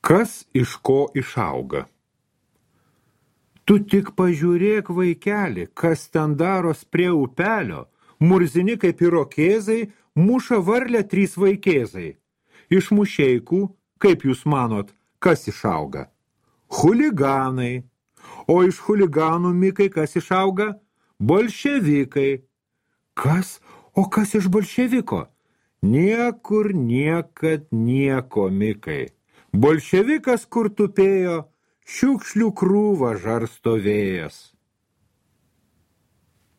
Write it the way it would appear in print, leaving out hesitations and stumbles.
Kas iš ko išauga? Tu tik pažiūrėk, vaikeli, kas ten daros prie upelio. Murzini kaip irokėzai, muša varlę 3 vaikėzai. Iš mušeikų, kaip jūs manot, kas išauga? Chuliganai. O iš chuliganų, Mikai, kas išauga? Bolševikai. Kas? O kas iš bolševiko? Niekur niekad nieko, Mikai. Bolševikas, kur tupėjo, šiukšlių krūvą žarsto vėjas.